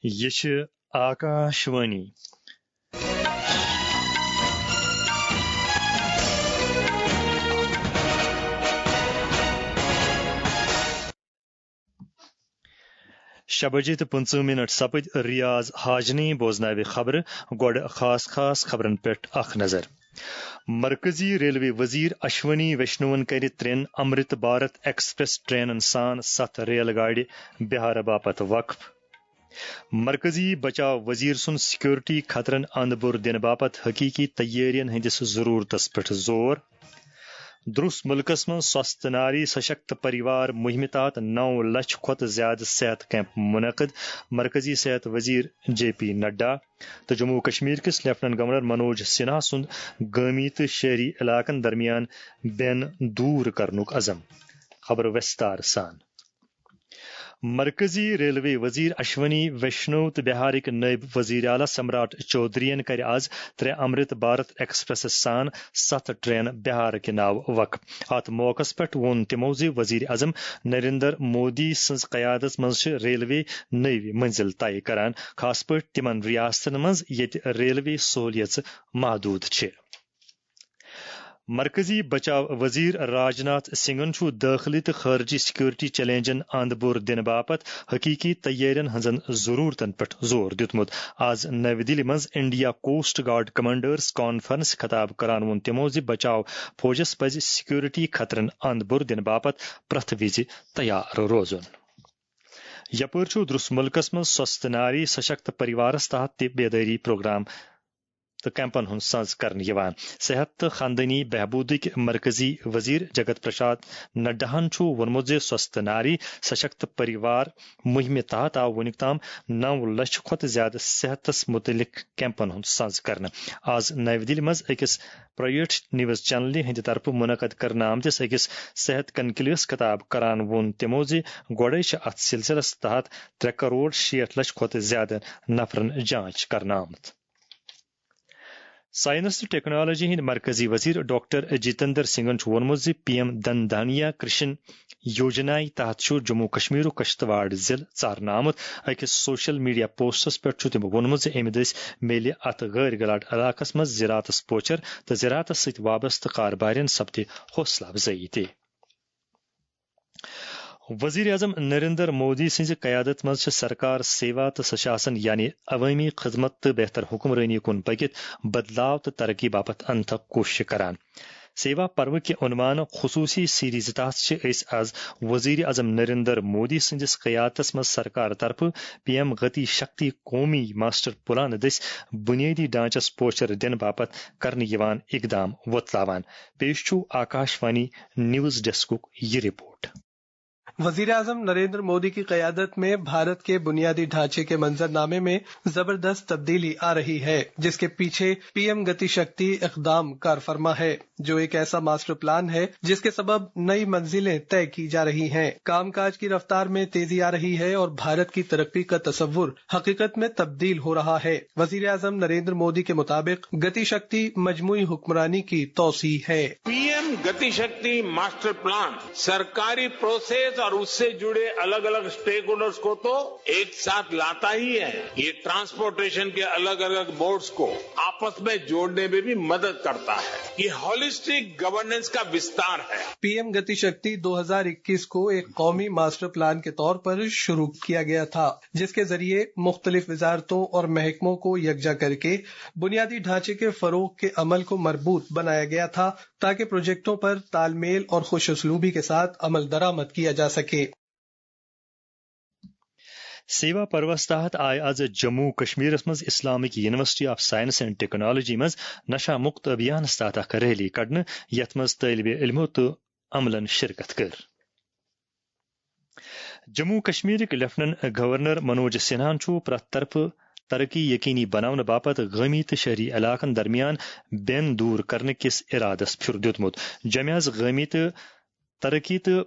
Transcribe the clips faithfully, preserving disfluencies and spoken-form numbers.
یہِ چھِ آکاشوانی۔ شےٚ بجے تہٕ پٕنٛژٕہ منٹ سپٕدۍ۔ ریاض حاجنی بوزناوِ خبرٕ۔ گۄڈٕ خاص خاص خبرن پٮ۪ٹھ اکھ نظر۔ مرکزی ریلوے وزیر اشونی ویشنوَن کَرِ ترٛٮ۪ن امرت بھارت ایکسپریس ٹرینن سان ستھ ریل گاڑِ بہار باپتھ وقف۔ مرکزی بچاو وزیر سُنٛد سیکورٹی خطرن اند بُر دِنہٕ باپتھ حقیقی تیٲرین ہٕنٛدِس ضرورتس پٮ۪ٹھ زور۔ درُس مُلکس منٛز سوستھ ناری سشکت پریوار مہمہِ تحت نو لچھ کھۄتہٕ زیادٕ صحت کیمپ منعقد، مرکزی صحت وزیر جے پی نڈا۔ تہٕ جموں و کشمیر کِس لیفٹیننٹ گورنر منوج سنہا سُنٛد گٲمی تہٕ شہری علاقن درمیان بین دور کرنُک عزم۔ خبر وستار سان۔ مرکزی ریلوے وزیر اشونی ویشنو تہٕ بہارٕکۍ نٲیِب وزیر اعلیٰ سمراٹ چودھرین کَرِ آز ترٛےٚ امرت بھارت ایکسپریسس سان ستھ ٹرین بہار کہِ ناوٕ وقف۔ اتھ موقعس پٮ۪ٹھ ووٚن تِمو زِ وزیر اعظم نریندر مودی سٕنٛز قیادت منٛز چھِ ریلوے نٔوۍ منزل طے کران، خاص پٲٹھۍ تِمن ریاستن منٛز ییٚتہِ ریلوے سہولیژٕ محدود چھِ۔ مرکزی بچاو وزیر راجناتھ سنگھن چھُ دٲخلی تہٕ خارجی سیکورٹی چیلنجن اند بُر دِنہٕ باپتھ حقیقی تیٲرین ہٕنٛزن ضرورتن پٮ۪ٹھ زور دیُتمُت۔ آز نَوِ دِلہِ منٛز India coast guard commanders conference خطاب کران ووٚن تِمو زِ بچاو فوجس پزِ سیکورٹی خطرن اند بُر دِنہٕ باپتھ پرٛٮ۪تھ وِزِ تیار روزُن۔ یپٲرۍ چھُ درُس مُلکس منٛز سوستھ ناری سشکت پریوارس تحت تہِ بیدٲری پروگرام تہٕ کیمپن ہُنٛد سنز کرنہٕ یِوان۔ صحت تہٕ خاندٲنی بہبوٗدٕکۍ مرکزی وزیر جگت پرساد نڈاہن چھُ ووٚنمُت زِ سوستھ ناری سشکت پریوار مُہِمہِ تحت آو وُنیُک تام نو لچھ کھۄتہٕ زیادٕ صحتس مُتعلق کیمپن ہُنٛد سنز کرنہٕ۔ آز نَوِ دِلہِ منٛز أکِس پرائیویٹ نیوز چینلہِ ہٕنٛدِ طرفہٕ منعقد کرنہٕ آمتِس أکِس صحت کنکلیوس خطاب کران ووٚن تِمو زِ گۄڈَے چھِ اتھ سلسلس تحت ترٛےٚ کرور شیٹھ لچھ کھۄتہٕ زیادٕ نفرن جانچ کرنہٕ آمٕژ۔ سائنس تہٕ ٹیکنالوجی ہٕنٛدۍ مرکزی وزیر ڈاکٹر جتندر سنگھن چھُ ووٚنمُت زِ پی ایم دھن دھانیا کرشن یوجنایہِ تحت چھُ جموں کشمیرُک کشتواڑ ضلعہٕ ژارنہٕ آمُت۔ أکِس سوشل میڈیا پوسٹس پٮ۪ٹھ چھُ تٔمۍ ووٚنمُت زِ اَمہِ دٔسۍ میلہِ اتھ غٲر گلاٹ علاقس منٛز زراعتس پوچھر تہٕ زراعتس سۭتۍ وابستہٕ کاربارٮ۪ن سپدِ حوصلہٕ افزٲیی تہِ۔ وزیر اعظم نریندر مودی سٕنٛزِ قیادت منٛز چھِ سرکار سیوا تہٕ سشاسن، یعنی عوٲمی خدمت تہٕ بہتر حکمرٲنی کُن پٔکِتھ بدلاو تہٕ ترقی باپتھ انتھک کوٗشش کران۔ سیوا پروٕ کہِ عنوان خصوٗصی سیریز تحت چھِ أسۍ از وزیر اعظم نریندر مودی سٕنٛدِس قیادتس منٛز سرکار طرفہٕ پی ایم گتی شکتی قومی ماسٹر پلان دٔسۍ بنیٲدی ڈھانچس پوچھر دِنہٕ باپتھ کرنہٕ یِوان اقدام وۄتلاوان۔ پیش چھُ آکاشوانی نیوز ڈیسکُک یہِ رپورٹ۔ وزیر اعظم نریندر مودی کی قیادت میں بھارت کے بنیادی ڈھانچے کے منظرنامے میں زبردست تبدیلی آ رہی ہے، جس کے پیچھے پی ایم گتی شکتی اقدام کار فرما ہے، جو ایک ایسا ماسٹر پلان ہے جس کے سبب نئی منزلیں طے کی جا رہی ہیں، کام کاج کی رفتار میں تیزی آ رہی ہے اور بھارت کی ترقی کا تصور حقیقت میں تبدیل ہو رہا ہے۔ وزیر اعظم نریندر مودی کے مطابق گتی شکتی مجموعی حکمرانی کی توسیع ہے۔ पीएम गति शक्ति मास्टर प्लान सरकारी प्रोसेस और उससे जुड़े अलग अलग स्टेकहोल्डर्स को तो एक साथ लाता ही है, ये ट्रांसपोर्टेशन के अलग अलग मोड्स को आपस में जोड़ने में भी मदद करता है। ये हॉलिस्टिक गवर्नेंस का विस्तार है। पीएम गति शक्ति दो हज़ार इक्कीस को एक कौमी मास्टर प्लान के तौर पर शुरू किया गया था, जिसके जरिए मुख्तलिफ वजारतों और महकमों को यकजा करके बुनियादी ढांचे के फरोग के अमल को मरबूत बनाया गया था, ताकि प्रोजेक्टों पर तालमेल और खुशउसलूबी के साथ अमल दरामद किया जा सके। سیوا پروس تحت آیہِ از جموں کشمیرس منٛز Islamic university of science and technology منٛز نشہ مکت ابھیانس تحت اکھ ریلی کڑنہٕ، یتھ منٛز طٲلبِ علمو تہٕ عملن شرکت کٔر۔ جموں کشمیرٕکۍ لیفٹیننٹ گورنر منوج سنہاہن چھُ پرٛٮ۪تھ طرفہٕ ترقی یقینی بناونہٕ باپتھ گٲمی تہٕ شہری علاقن درمیان بین دور کرنہٕ کِس ارادس پھیُر دیُتمُت۔ جمعیس گٲمی تہٕ ترقی تہٕ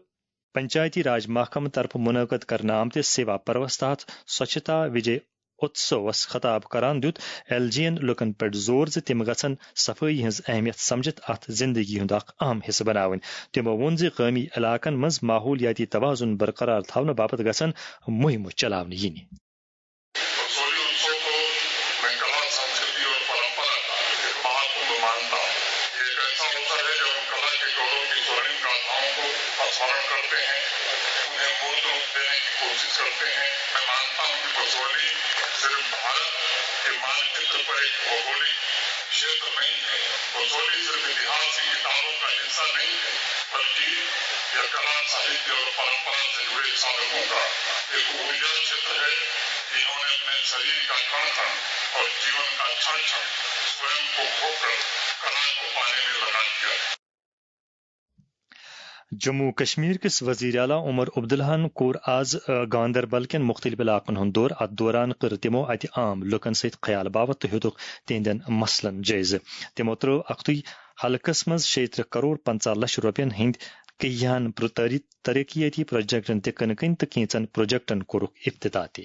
پنچایتی راج محکمہٕ طرفہٕ منعقد کرنہٕ آمتِس سیوا پروس تحت سوچھتا وجے اتسوس خطاب کران دیُت ایل جی ین لوٗکن پٮ۪ٹھ زور زِ تِم گژھن صفٲیی ہٕنٛز اہمیت سمجھتھ اتھ زندگی ہُنٛد اکھ اہم حصہٕ بناوٕنۍ۔ تِمو ووٚن زِ گٲمی علاقن منٛز ماحولیاتی توازن برقرار تھاونہٕ باپتھ گژھن مُہِمہٕ چلاونہٕ یِنہِ۔ کو میں کلا سنسکرتی اور پرمپرا کا ایک مہاکمبھ مانتا ہوں۔ یہ ایک ایسا اوسر ہے جب ہم کلا کے گورو کی سورنگ گاتھاؤں کو اسمرن کرتے ہیں، انہیں مورت روپ دینے کی کوشش کرتے ہیں۔ میں مانتا ہوں کہ بسولی صرف بھارت کے مانچتر پر ایک بھوگولک شیتر نہیں ہے۔ بسولی صرف اتہاس کی کتابوں کا حصہ نہیں ہے، بلکہ یہ کلا، ساہتیہ اور پرمپرا سے جڑے سادھکوں کا ایک اوجھل چھیتر ہے، جنہوں نے اپنے شریر کا کڑ کڑ اور جیون کا چھڑ چھڑ سوئم کو کھو کر کلا کو پانے میں لگا دیا۔ جموں و کشمیر کس وزیر اعلیٰ عمر عبداللہن کوٚر آز، آ، گاندربل کٮ۪ن مُختٔلِف علاقن ہُنٛد دورٕ۔ اتھ دوران کٔر تِمو اتہِ عام لوٗکن سۭتۍ خیال باوت تہٕ ہیوٚتُکھ تِہنٛدٮ۪ن مسلن جٲیزٕ۔ تِمو ترٲو اکتُے حلقس منٛز شیٚیہِ ترٕٛہ کرور پنٛژاہ لچھ رۄپین ہٕنٛدۍ کیٚہن پرٛ-، تٲری-، ترقیتی پروجیکٹن تہِ کٕنہٕ کٕنۍ تہٕ کینٛژن پروجیکٹن کوٚرُکھ افتتاح تہِ۔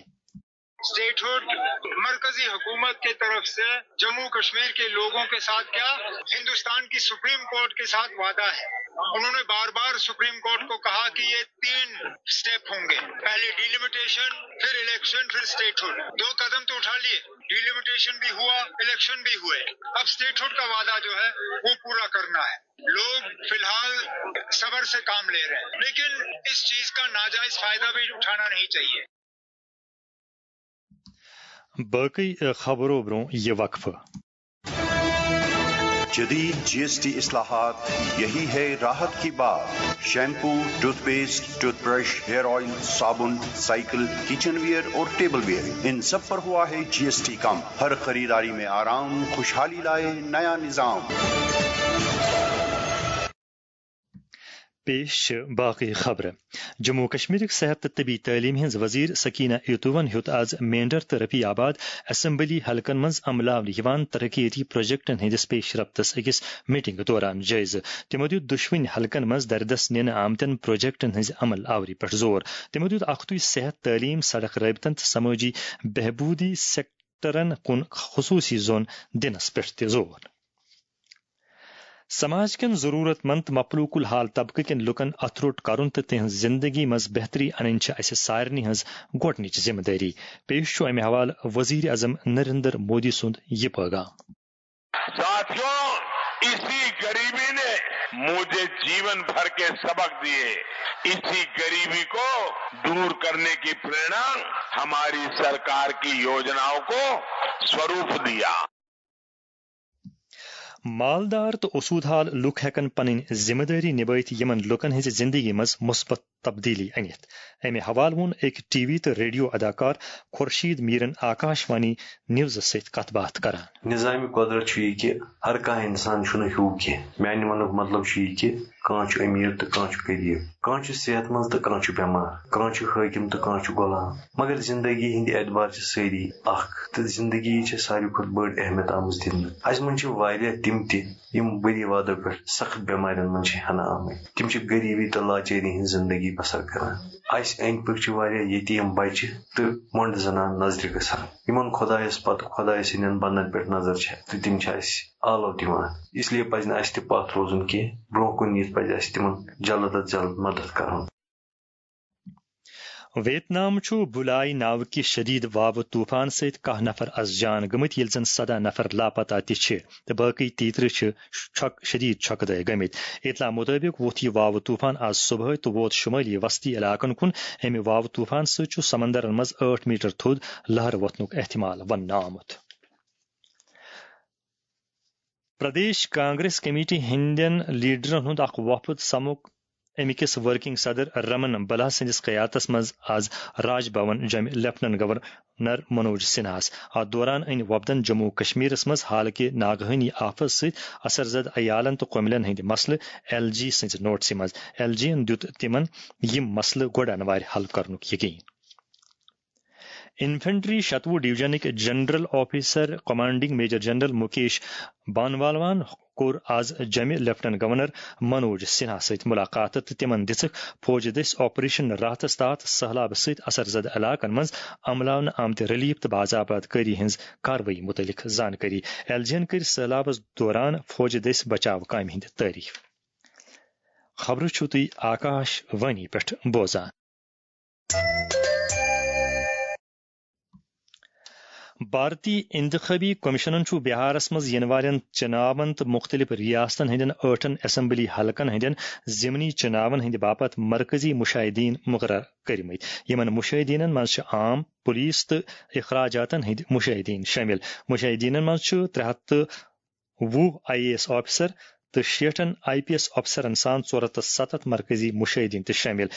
اسٹیٹہڈ مرکزی حکومت کی طرف سے جموں کشمیر کے لوگوں کے ساتھ کیا، ہندوستان کی سپریم کورٹ کے ساتھ وعدہ ہے۔ انہوں نے بار بار سپریم کورٹ کو کہا کہ یہ تین اسٹیپ ہوں گے، پہلے ڈیلیمیٹیشن، پھر الیکشن، پھر اسٹیٹہڈ۔ دو قدم تو اٹھا لیے، ڈیلیمیٹیشن بھی ہوا، الیکشن بھی ہوئے۔ اب اسٹیٹہڈ کا وعدہ جو ہے وہ پورا کرنا ہے۔ لوگ فی الحال صبر سے کام لے رہے ہیں، لیکن اس چیز کا ناجائز فائدہ بھی اٹھانا نہیں چاہیے۔ باقی، آ، خبرو برونٛہہ یہِ وقفہٕ۔ جدید جی ایس ٹی اصلاحات، یہی ہے راحت کی بات۔ Shampoo, toothpaste, toothbrush, hair oil, صابن، سائیکل، کچن ویئر اور ٹیبل ویئر، ان سب پر ہوا ہے جی ایس ٹی کم۔ ہر خریداری میں آرام، خوشحالی لائے نیا نظام۔ پیش چھِ باقٕے خبرٕ۔ جموں و کشمیرٕکۍ صحت تہٕ طبی تعلیٖم ہٕنٛز وزیر سکینہ ایتوون ہیوٚت آز مینڈر تہٕ رفیع آباد اسمبلی حلقن منٛز عملاونہٕ یِوان ترقیتی پروجیکٹن ہٕنٛدِس پیش رفتس أکِس میٹنگ دوران جٲیزٕ۔ تِمو دِیُت دۄشوٕنی حلقن منٛز دردس نِنہٕ آمتٮ۪ن پروجیکٹن ہٕنٛزِ عمل آوری پٮ۪ٹھ زور۔ تِمو دِیُت اکھتُے صحت، تعلیٖم، سڑک رٲبطن تہٕ سمٲجی بہبوٗدی سیکٹرن کُن خصوٗصی زون دِنس پٮ۪ٹھ تہِ زور۔ سماج کٮ۪ن ضروٗرت مند تہٕ مفلوٗک الحال طبقہٕ کٮ۪ن لوٗکن اَتھٕ روٚٹ کرُن تہٕ تِہنٛز زِنٛدگی منٛز بہتری اَنٕنۍ چھِ اَسہِ سارنٕے ہٕنٛز گۄڈٕنِچ ذِمہٕ دٲری۔ پیش چھُ اَمہِ حوالہٕ وزیر اعظم نریندر مودی سُنٛد یہِ پٲغام۔ ساتھیوں، اسی غریبی نے مجھے جیون بھر کے سبق دیے۔ اسی غریبی کو دور کرنے کی प्रेरणा हमारी सरकार की योजनाओं को स्वरूप दिया। مالدار تہٕ اوسوٗد حال لوٗکھ ہٮ۪کن پنٕنۍ ذِمہٕ دٲری نِبٲوِتھ یِمن لوٗکن ہٕنٛزِ زِنٛدگی منٛز مُثبت تبدیٖلی أنِتھ۔ اَمہِ حوالہٕ ووٚن أکۍ ٹی وی تہٕ ریڈیو اداکار خورشید میٖرن آکاش وانی نیوزس سۭتۍ کتھ باتھ کران۔ نظام قدرت چھُ یہِ کہِ ہر کانٛہہ انسان چھُنہٕ ہیوٗ کینٛہہ۔ میانہِ وننُک مطلب چھُ یہِ کہِ کانٛہہ چھُ أمیٖر تہٕ کانٛہہ چھُ غریٖب، کانٛہہ چھُ صحت منٛز تہٕ کانٛہہ چھُ بٮ۪مار، کانٛہہ چھُ حٲکِم تہٕ کانٛہہ چھُ غلام، مگر زندگی ہٕنٛدۍ اعتبار چھِ سٲری اکھ، تہٕ زندگی چھےٚ ساروی کھۄتہٕ بٔڑ اہمیت آمٕژ دِنہٕ۔ اسہِ منٛز چھِ واریاہ تِم تہِ یِم بُری وادو پٮ۪ٹھ سخت بٮ۪مارٮ۪ن منٛز چھِ ہٮ۪نہٕ آمٕتۍ۔ تِم چھِ غریٖبی تہٕ لاچٲری ہٕنٛز زندگی بسر کران۔ اسہِ أنٛدۍ پٔکۍ چھِ واریاہ یتیٖم بچہِ تہٕ مۄنڈٕ زنانہٕ نظرِ گژھان، یِمن خۄدایس پتہٕ خۄدایہِ سٕنٛدٮ۪ن بندن پٮ۪ٹھ نظر چھےٚ تہٕ تِم چھِ اسہِ آلو دِوان۔ اس لیے پزِ نہٕ اسہِ تہِ پتھ روزُن کینٛہہ، برونٛہہ کُن یِتھ پزِ اسہِ تِمن جلد از جلد مدد کرُن۔ ویت نام چھُ بُلاے ناوٕ کہِ شدید واوٕ طوفان سۭتۍ کاہ نفر از جان گٔمٕتۍ، ییٚلہِ زن سداہ نفر لاپتہ تہِ چھِ تہٕ باقٕے تیترٕہ چھِ چھۄک-، شدید چھۄکہٕ دٲرۍ گٔمٕتۍ۔ اطلاع مُطٲبِق ووٚتھ یہِ واوٕ طوفان از صبحٲے تہٕ ووت شُمٲلی وسطی علاقن کُن۔ اَمہِ واوٕ طوفان سۭتۍ چھُ سمندرن منٛز ٲٹھ میٹر تھوٚد لہر وۄتھنُک احتمال وننہٕ آمُت۔ پردیش کانگریس کمیٹی ہٕنٛدٮ۪ن لیڈرن ہُنٛد اکھ وفد سمُک اَمہِ کِس ورکنگ صدر رمن بلا سٕنٛدِس قیادتس منٛز از راج بھون جوٚمہِ لیفٹیننٹ گورنر منوج سنہاہس۔ اتھ دوران أنۍ وفدن جموں و کشمیرس منٛز حالکہِ ناگہٲنی آفژ سۭتۍ اثر زدٕ عیالن تہٕ کۄملٮ۪ن ہٕنٛدۍ مسلہٕ ایل جی سٕنٛزِ نوٹسہِ منٛز۔ ایل جی ین دیُت تِمن یِم مسلہٕ گۄڈٕ انوارِ حل کرنُک یقین۔ انفنٹری شتوُہ ڈویژنٕکۍ general officer commanding major general Mukesh بانوالوان کوٚر آز جوٚمہِ لیفٹیننٹ گورنر منوج سنہا سۭتۍ ملاقات تہٕ تِمن دِژٕکھ فوجہِ دٔسۍ آپریشن راحتس تحت سہلابہٕ سۭتۍ اثر زدٕ علاقن منٛز عملاونہٕ آمتہِ ریلیف تہٕ باضابطہ کٲری ہٕنٛز کاروٲیی مُتعلق زانکٲری۔ ایل جی ین کٔرۍ سہلابس دوران فوجہِ دٔسۍ بچاو کامہِ ہٕنٛدۍ تعریف۔ خبرٕ چھِو تُہۍ آکاش وانی پٮ۪ٹھ بوزان۔ بھارتی انتخابی کمیشنن چھُ بہارس منٛز یِنہٕ والٮ۪ن چناون تہٕ مُختٔلِف ریاستن ہٕنٛدٮ۪ن ٲٹھن اسمبلی حلقن ہٕنٛدٮ۪ن ضمنی چناون ہٕنٛدِ باپتھ مرکزی مشاہدین مقرر کٔرمٕتۍ۔ یِمن مشاہدینن منٛز چھِ عام، پولیس تہٕ اخراجاتن ہٕنٛدۍ مشاہدین شٲمِل۔ مشاہدینن منٛز چھُ ترٛےٚ ہتھ تہٕ وُہ آئی اے ایس آفیسر تہٕ شیٹھن آئی پی ایس آفیسرن سان ژور ہتھ تہٕ ستتھ مرکزی مشاہدین تہِ شٲمِل،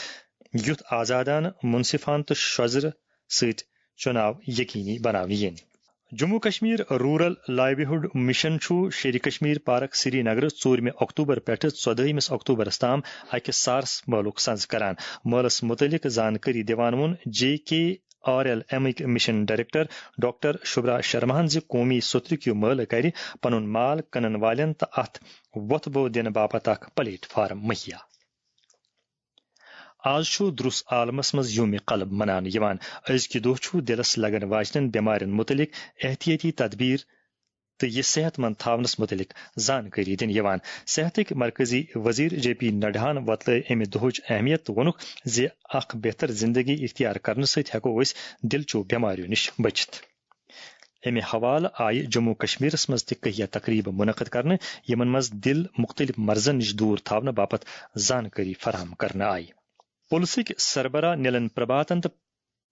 یُتھ آزادانہٕ، منصفانہٕ تہٕ شۄزرٕ سۭتۍ چُناو یقینی بناونہٕ یِن۔ Jammu Kashmir rural livelihood mission چھُ شیرِ کشمیر پارک سری نگر ژوٗرمہِ اکتوبر پٮ۪ٹھٕ ژۄدٲہمِس اکتوبرس تام اکہِ سارس مٲلُک سنز کران۔ مٲلس متعلق زانکٲری دِوان ووٚن جے کے آر ایل ایمٕکۍ مشن ڈائریکٹر ڈاکٹر شبرا شرماہن زِ قومی سترُک یہِ مٲلہٕ کرِ پنُن مال کٕنن والٮ۪ن تہٕ اتھ وۄتھٕ بو دِنہٕ باپتھ اکھ پلیٹ فارم مہیا۔ آز چھُ درُس عالمس منٛز یوم قلب مناونہٕ یِوان۔ أزکہِ دۄہ چھُ دِلس لگن واجنٮ۪ن بٮ۪مارٮ۪ن مُتعلق احتیاطی تدبیر تہٕ یہِ صحت مند تھاونس مُتعلق زانکٲری دِنہٕ یِوان۔ صحتٕکۍ مرکزی وزیر جے پی نڈاہن وۄتلٲو امہِ دۄہٕچ اہمیت تہٕ ووٚنُکھ زِ اکھ بہتر زندگی اختیار کرنہٕ سۭتۍ ہٮ۪کو أسۍ دِلچو بٮ۪مارٮ۪و نِش بٔچِتھ۔ امہِ حوالہٕ آیہِ جموں کشمیرس منٛز تہِ کہیا تقریبہٕ منعقد کرنہٕ، یِمن منٛز دِل مُختٔلِف مرضن نِش دوٗر تھاونہٕ باپتھ زانکٲری فراہم کرنہٕ آیہِ۔ پُلسٕکۍ سربراہ نیلن پرباتن تہٕ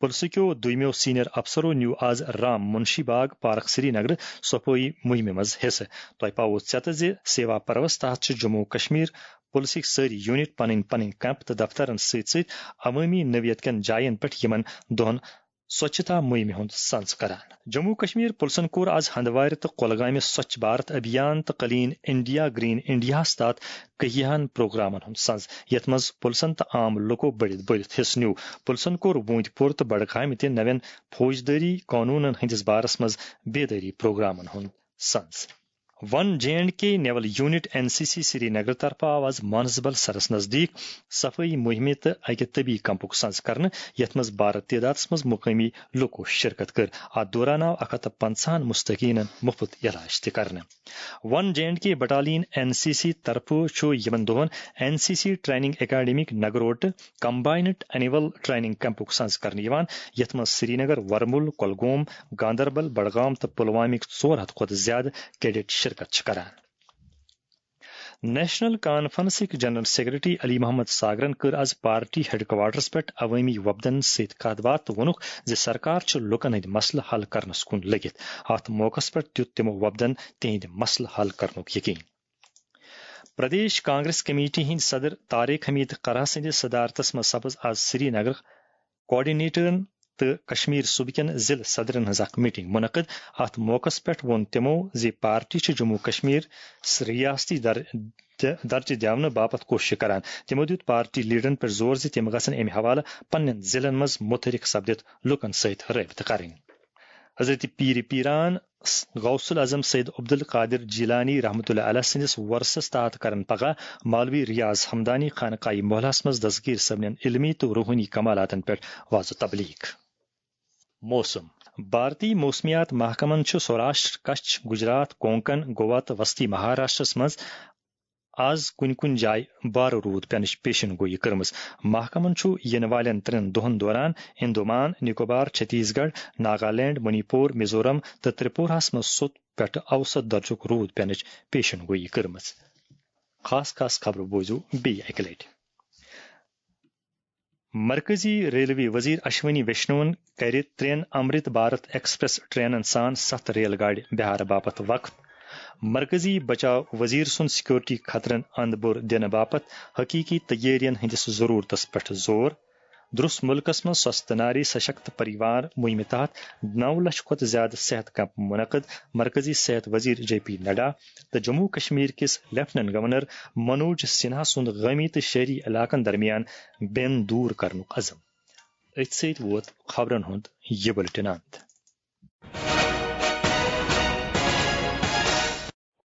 پُلسہٕ کیو دویمو سینئر افسرو نیو آز رام منشی باغ پارک سری نگر صفٲیی مہمہِ منٛز حصہٕ۔ تۄہہِ پاوو ژیتہٕ زِ سیوا پروس تحت چھِ جموں کشمیر پُلسٕکۍ سٲری یونٹ پنٕنۍ پنٕنۍ کیمپ تہٕ دفترن سۭتۍ سۭتۍ عوٲمی نوعیت کٮ۪ن جاین پٮ۪ٹھ یِمن دۄہن سوچھتا مہمہِ ہُنٛد سنز کران۔ جموں کشمیر پُلسن کوٚر آز ہندوارِ تہٕ کۄلگامہِ سوچھ بھارت ابھیان تہٕ کلین انڈیا گرین انڈیاہس تحت کہیاہن پروگرامن ہُنٛد سنز، یتھ منٛز پُلسن تہٕ عام لوٗکو بٔڑِتھ بٔڑِتھ حصہٕ نیوٗ۔ پُلسن کوٚر ووٗنٛتۍ پوٗر تہٕ بڈگامہِ تہِ نوٮ۪ن فوجدٲری قونوٗنن ہٕنٛدِس بارس منٛز بیدٲری پروگرامن ہُنٛد سنز۔ One J and K naval unit N C C Srinagar طرفہٕ آو آز مانسبل سرس نزدیک صفٲیی مہمہِ تہٕ اکہِ طبی کیمپُک سنز کرنہٕ، یتھ منٛز بارٕ تعدادس منٛز مقٲمی لوٗکو شرکت کٔر۔ اتھ دوران آو اکھ ہتھ تہٕ پنژاہن مستحقینن مفت علاج تہِ کرنہٕ۔ One J and K battalion N C C طرفہٕ چھُ یِمن دۄہن N C C training academic نگروٹہٕ کمباینڈ اینول ٹریننگ کیمپُک سنز کرنہٕ یِوان، یتھ منٛز سری نگر، ورمُل، کۄلگوم، گاندربل، بڈگام تہٕ پلوامٕکۍ ژور ہتھ کھۄتہٕ زیادٕ کیڈٹ شرکت چھِ کران۔ نیشنل کانفرنسٕکۍ جنرل سیکرٹری علی محمد ساگرن کٔر آز پارٹی ہیڈ کوارٹرس پٮ۪ٹھ عوٲمی وفدن سۭتۍ کتھ باتھ تہٕ ووٚنُکھ زِ سرکار چھِ لوٗکن ہٕنٛدۍ مسلہٕ حل کرنس کُن لٔگِتھ۔ اتھ موقعس پٮ۪ٹھ دیُت تِمو وفدن تِہنٛدۍ مسلہٕ حل کرنُک یقین۔ پردیش کانگریس کمیٹی ہٕنٛدۍ صدر طارق حمید قرہ سٕنٛدِس صدارتس منٛز سپٕز آز سری نگر کوآرڈینیٹرن تہٕ کشمیر صوبہٕ کٮ۪ن ضلعہٕ صدرن ہٕنٛز اکھ میٹنگ منعقد۔ اتھ موقعس پٮ۪ٹھ ووٚن تِمو زِ پارٹی چھِ جموں کشمیر ریاستی در-، درجہٕ دِونہٕ باپتھ کوٗشش کران۔ تِمو دیُت پارٹی لیڈرن پٮ۪ٹھ زور زِ تِم گژھن امہِ حوالہٕ پننٮ۪ن ضلعن منٛز متحرک سپدِتھ لوٗکن سۭتۍ رٲبطہٕ کرٕنۍ۔ حضرت پیر پیران غوث الاعظم سید عبدالقادر جیلانی رحمۃ اللہ علیہ سٕنٛدِس ورثس تحت کرن پگاہ مولوی ریاض حمدانی خانقاہ محلس منٛز دستگیر صٲبنٮ۪ن علمی تہٕ روحٲنی کمالاتن پٮ۪ٹھ وعظ و تبلیغ۔ موسم۔ بھارتی موسمیات محکمن چھُ سوراشٹر، کچھ، گجرات، کونکن، گوا تہٕ وسطی مہاراشٹرس منٛز آز کُنہِ کُنہِ جایہِ بارٕ روٗد پینٕچ پیشن گویی کٔرمٕژ۔ محکمن چھُ یِنہٕ والٮ۪ن ترٛٮ۪ن دۄہن دوران انڈمان نکوبار، چھتیس گڑھ، ناگالینڈ، منی پور، میزورم تہٕ ترپوراہس منٛز سوٚت پٮ۪ٹھٕ اوسط درجُک روٗد پینٕچ پیشن گویی کٔرمٕژ۔ خاص خاص خبرٕ بوٗزِو بیٚیہِ اَکہِ لٹہِ۔ مرکزی ریلوے وزیر اشونی ویشنوَن کَرِ ترٛٮ۪ن امرت بھارت ایکسپریس ٹرینن سان ستھ ریل گاڑِ بہار باپتھ وقف۔ مرکزی بچاو وزیر سُنٛد سیکورٹی خطرن اند بُر دِنہٕ باپتھ حقیقی تیٲرین ہٕنٛدِس ضرورتس پٮ۪ٹھ زور۔ درُس مُلکس منٛز سوستھ ناری سشکت پریوار مُہِمہِ تحت نو لچھ کھۄتہٕ زیادٕ صحت کیمپ منعقد، مرکزی صحت وزیر جے پی نڈا تہٕ جموں کشمیر کِس لیفٹیننٹ گورنر منوج سنہا سُنٛد گٲمی تہٕ شہری علاقن درمیان بین دور کرنُک عزم۔ أتھۍ سۭتۍ ووت خبرن ہُنٛد یہِ بُلٹن اند۔